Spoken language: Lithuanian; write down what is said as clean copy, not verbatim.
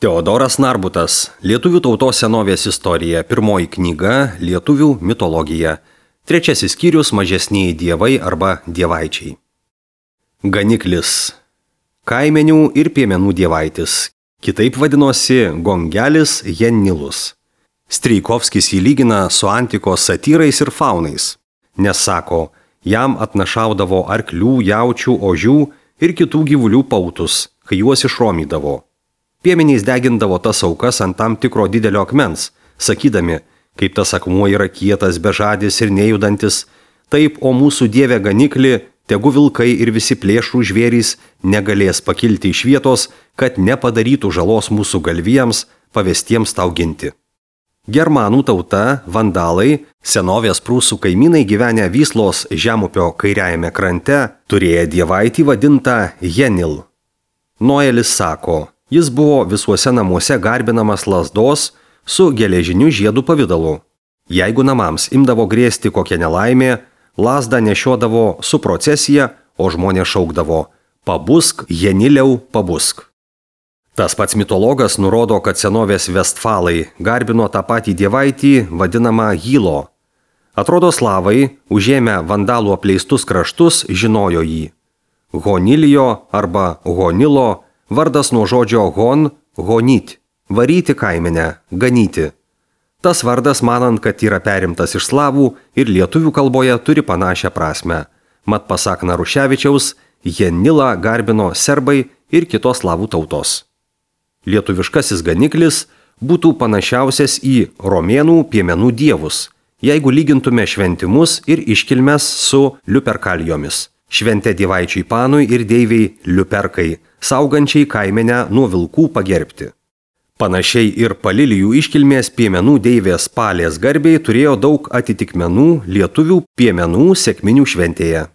Teodoras Narbutas, Lietuvių tautos senovės istorija, pirmoji knyga, Lietuvių mitologija, trečiasis skyrius, mažesnieji dievai arba dievaičiai. Ganiklis, kaimenių ir piemenų dievaitis, kitaip vadinosi Gongelis Jennilus. Strijkovskis jį lygina su antikos satyrais ir faunais, nes sako, jam atnašaudavo arklių, jaučių, ožių ir kitų gyvulių pautus, kai juos išromydavo. Piemeniais degindavo tas aukas ant tam tikro didelio akmens, sakydami, kaip tas akmuo yra kietas, bežadis ir nejudantis, taip, o mūsų dieve ganikli, tegu vilkai ir visi plėšrų žvėrys negalės pakilti iš vietos, kad nepadarytų žalos mūsų galvijams, pavestiems tau ginti. Germanų tauta, vandalai, senovės prūsų kaimynai gyvenę Vyslos žemupio kairiajame krante, turėjo dievaitį vadintą Jenil. Noelis sako, jis buvo visuose namuose garbinamas lazdos su geležiniu žiedu pavidalu. Jeigu namams imdavo grėsti kokią nelaimę, lazdą nešiodavo su procesija, o žmonės šaukdavo, pabusk, Jeniliau, pabusk. Tas pats mitologas nurodo, kad senovės Vestfalai garbino tą patį dievaitį vadinamą Hilo. Atrodo, slavai, užėmę vandalų apleistus kraštus, žinojo jį. Honilijo arba Honilo vardas nuo žodžio hon, honit, varyti kaimenę, ganyti. Tas vardas, manant, kad yra perimtas iš slavų ir lietuvių kalboje turi panašią prasmę. Mat pasak Naruševičiaus, Jenilą garbino serbai ir kitos slavų tautos. Lietuviškasis ganiklis būtų panašiausias į romėnų piemenų dievus, jeigu lygintume šventimus ir iškilmes su liuperkalijomis. Šventė dievaičiai Panui ir deiviai liuperkai, saugančiai kaimenę nuo vilkų pagerbti. Panašiai ir Palilijų iškilmės piemenų deivės Palės garbei turėjo daug atitikmenų lietuvių piemenų sekminių šventėje.